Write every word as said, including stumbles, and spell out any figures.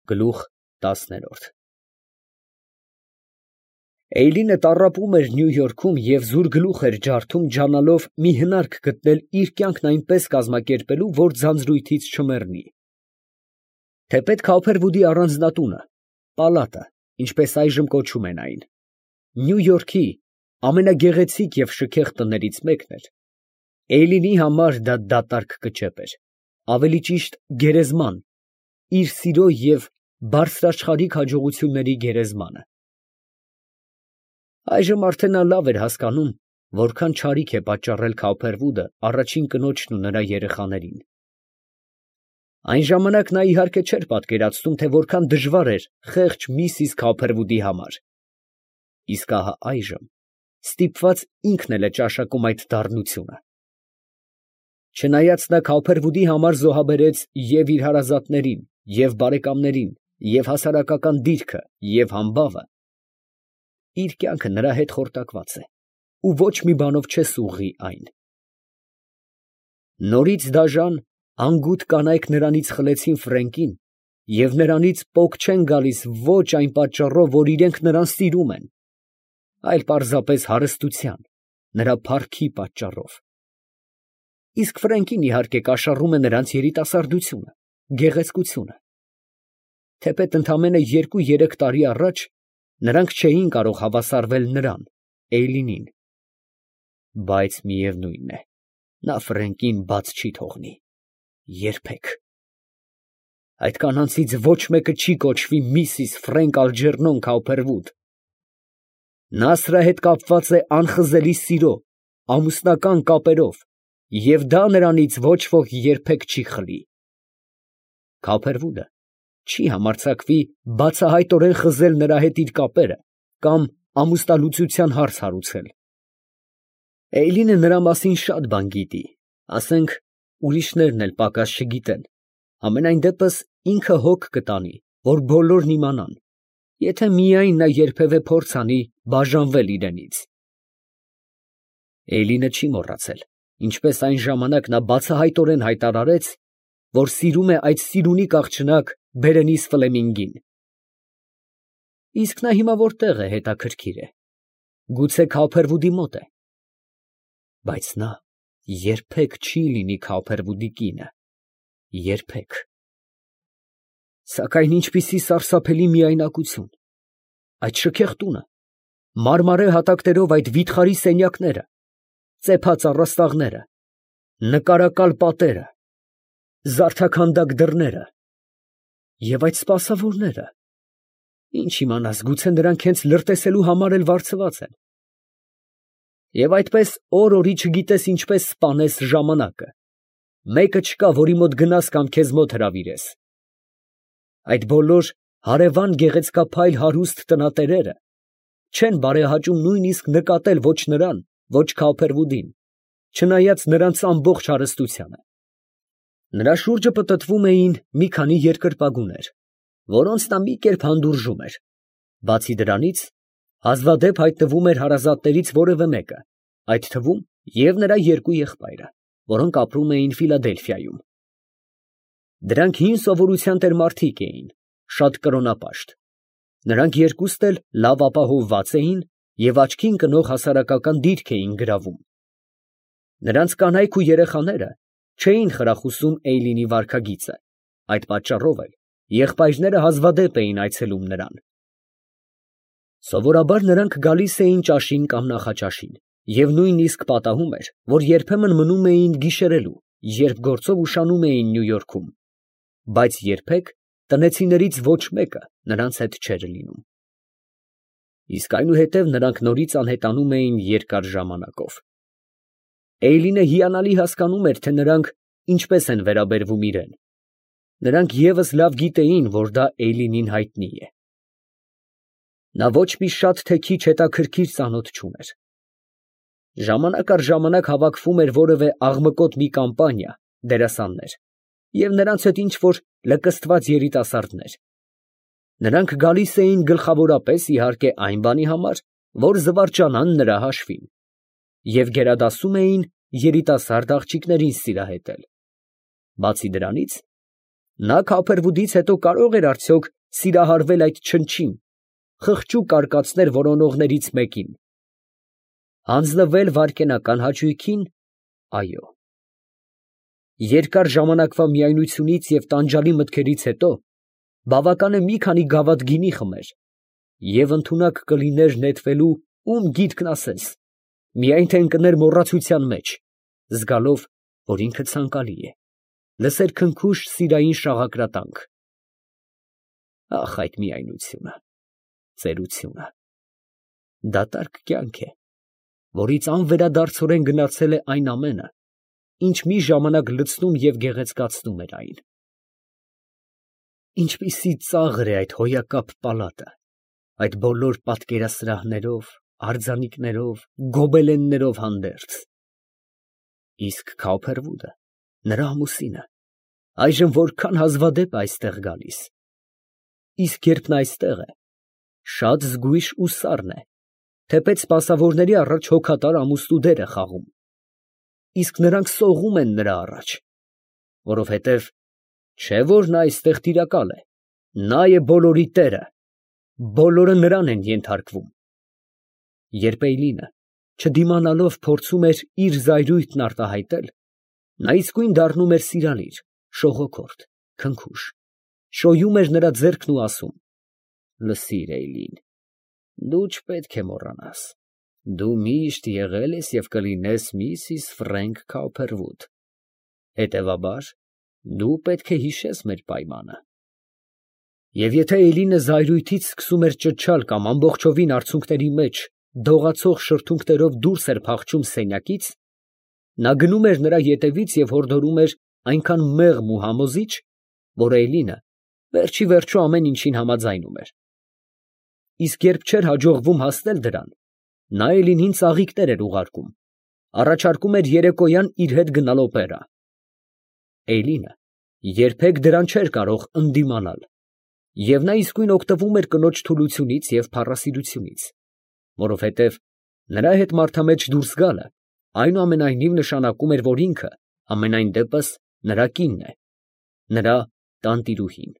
Գլուխ տասներորդ Էյլինը տառապում էր Նյու Յորքում և զուր գլուխ էր ջարդում ջանալով մի հնարք գտնել իր կյանքն այնպես կազմակերպելու, որ ձանձրույթից չմեռնի։ Թեպետ Քոփերվուդի առանձնատունը, պալատը, ինչպես այժմ կոչում են այն, Նյու Յորքի ամենագեղեցիկ և շքեղ տներից մեկն էր, Էյլինի համար դա դատարկ կճեպ էր, ավելի ճիշտ գերեզման, իր սիրո և բարձրաշխարհիկ հաջողությունների գերեզմանը։ Այժմ արդեն նա լավ էր հասկանում, որքան չարիք է պատճառել Քոփերվուդը առաջին կնոջն ու նրա երեխաներին։ Այն ժամանակ նա իհարկե չէր պատկերացնում, թե որքան դժվար էր խեղճ միսիս Քոփերվուդի համար, իսկ ահա այժմ ստիպված ինքն էլ է ճաշակում այդ դառնությունը։ Չնայած նա Քոփերվուդի համար զոհաբերեց և իր հարազատներին, և բարեկամներին, և հասարակական դիրքը, և համբավը, իր կյանքը նրա հետ խորտակված է, ու ոչ մի բանով չես ուղղի այն։ Նորից դաժան, անգութ կանայք նրանից խլեցին Ֆրենկին և նրանից պոկ չեն գալիս ոչ այն պատճառով, որ իրենք նրան սիրում են, այլ պարզապես հարստության, նրա փառքի պատճառով։ Իսկ Ֆրենկին, իհարկե, կաշառում է նրանց երիտասարդությունը, գեղեցկությունը։ Թեպետ ընդամենը երկու֊երեք տարի առաջ նրանք չէին կարող հավասարվել նրան, Էյլինին, բայց միևնույն է, նա Ֆրենկին բաց չի թողնի, երբեք։ Այդ կանանցից ոչ մեկը չի կոչվի միսիս Ֆրենկ Ալջերնոն Քոփերվուդ։ Նա սրա հետ կապված է անխզելի սիրո, ամուսնական կապերով, և դա նրանից ոչ ոք երբեք չի խլի։ Քոփերվուդը չի համարձակվի բացահայտորեն խզել նրա հետ իր կապերը կամ ամուսնալուծության հարց հարուցել։ Էյլինը նրա մասին շատ բան գիտի, ասենք, ուրիշներն էլ պակաս չգիտեն, համենայն դեպս ինքը հոգ կտանի, որ բոլորն իմանան, եթե միայն նա երբևէ փորձ անի բաժանվել իրենից։ Էյլինը չի մոռացել, ինչպես այն ժամանակ նա բացահայտորեն հայտարարեց, որ սիրում է այդ սիրունիկ աղջնակ Բերենիս Ֆլեմինգին։ Իսկ նա հիմա որտեղ է, հետաքրքիր է, գուցե Քոփերվուդի մոտ է, բայց նա երբեք չի լինի Քոփերվուդի կինը, երբեք։ Սակայն ինչպիսի սարսափելի միայնակություն, այդ շքեղ տունը, մարմարե հատակներով այդ վիթխարի սենյակները, ծեփած առաստաղները, նկարակալ պատերը, զարդաքանդակ դռները և այդ սպասավորները, ինչ իմանաս, գուցե նրանք հենց լրտեսելու համար էլ վարձված են։ Եվ այդպես օր֊օրի չգիտես ինչպես սպանես ժամանակը, մեկը չկա, որի մոտ գնաս կամ քեզ մոտ հրավիրես։ Այդ բոլոր հարևան գեղեցկափայլ հարուստ տնատերերը չեն բարեհաճում նույնիսկ նկատել ոչ նրան, ոչ Քոփերվուդին, չնայած նրանց ամբողջ հարստությանը։ Նրա շուրջը պտտվում էին մի քանի երկրպագուներ, որոնց նա մի կերպ հանդուրժում էր, բացի դրանից, հազվադեպ հայտնվում էր հարազատներից որևէ մեկը, այդ թվում և նրա երկու եղբայրը, որոնք ապրում էին Ֆիլադելֆիայում։ Դրանք հին սովորության տեր մարդիկ էին, շատ կրոնապաշտ, նրանք երկուստ էլ լավ ապահովված էին և աչքին կնող հասարակական դիրք էին գրավում։ Նրանց կանայք ու երեխաները չէին խրախուսում Էյլինի վարքագիծը, այդ պատճառով էլ եղբայրները հազվադեպ էին այցելում նրան։ Սովորաբար նրանք գալիս էին ճաշին կամ նախաճաշին, և նույնիսկ պատահում էր, որ երբեմն մնում էին գիշերելու, երբ գործով ուշանում էին Նյու Յորքում, բայց երբեք տնեցիներից ոչ մեկը նրանց հետ չէր լինում։ Իսկ այնուհետև նրանք նորից անհետանում էին երկար ժամանակով։ Էյլինը հիանալի հասկանում էր, թե նրանք ինչպես են վերաբերվում իրան։ Նրանք ևս լավ գիտեին, որ դա Էյլինին հայտնի է։ Նա ոչ մի շատ թե քիչ հետաքրքիր ծանոթ չուներ։ Ժամանակ առ ժամանակ հավաքվում էր որևէ աղմկոտ մի կամպանիա, դերասաններ, և նրանց հետ ինչ֊որ լկստված երիտասարդներ։ Նրանք գալիս էին գլխավորապես, իհարկե, այն բանի համար, որ զվարճանան նրա հաշվին, և գերադասում էին երիտասարդ աղջիկներին սիրահետել։ Բացի դրանից, Նա քափերվուդից հետո կարող էր արդյոք սիրահարվել այդ չնչին, խղճուկ արկածներ որոնողներից մեկին, հանձնվել վայրկենական հաճույքին, այո։ Երկար ժամանակվա միայնությունից և տանջալի մտքերից հետո բավական է մի քանի գավաթ գինի խմեր, և ընդունակ կլիներ նետվելու ում գիտքն ասես, միայն թե ընկներ մոռացության մեջ, զգալով, որ ինքը ցանկալի է, լսեր քնքուշ սիրային շաղակրատանք… Ախ, այդ միայնությունը… ծերությունը… դատարկ կյանք է, որից անվերադարձորեն գնացել է այն ամենը, ինչ մի ժամանակ լցնում և գեղեցկացնում էր այն… Ինչպիսի ծաղր է այդ հոյակապ պալատը, այդ բոլոր պատկերասրահներով, արձանիկներով, գոբելեններով հանդերձ… Իսկ Քափերվուդը, նրա ամուսինը, այժմ որքան հազվադեպ է այստեղ գալիս… Իսկ երբ նա այստեղ է, շատ զգույշ ու սառն է, թեպետ սպասավորների առաջ հոգատար ամուսնու դեր է խաղում… Իսկ նրանք սողում են նրա առաջ… Որովհետև չէ՞ որ նա այստեղ տիրակալ է, նա է բոլորի տերը, բոլորը նրան են ենթարկվում… Երբ Էյլինը, չդիմանալով, փորձում էր իր զայրույթն արտահայտել, նա իսկույն դառնում էր սիրալիր, շողոքորթ, քնքուշ, շոյում էր նրա ձեռքն ու ասում. «Լսիր, Էյլին, դու չպետք է մոռանաս, դու միշտ եղել ես և կլինես Միսիս Ֆրենք Քափերվուդ, հետևաբար, դու պետք է հիշես մեր պայմանը»… Եվ եթե Էյլինը զայրույթից սկսում էր ճչալ կամ ամբողջովին արցունքների մեջ դողացող շրթունքներով դուրս էր փախչում սենյակից, նա գնում էր նրա ետևից և հորդորում էր այնքան մեղմ ու համոզիչ, որ Էյլինը վերջիվերջո ամեն ինչին համաձայնում էր… Իսկ երբ չէր հաջողվում հասնել դրան, նա Էյլինին ծաղիկներ էր ուղարկում, առաջարկում էր երեկոյան իր հետ գնալ օպերա… Էյլինը երբեք դրան չէր կարող ընդդիմանալ, և նա իսկույն օգտվում էր կնոջ թուլությունից և փառասիրությունից, որովհետև նրա հետ մարդամեջ դուրս գալը այնուամենայնիվ նշանակում էր, որ ինքը համենայն դեպս նրա կինն է, նրա տանտիրուհին…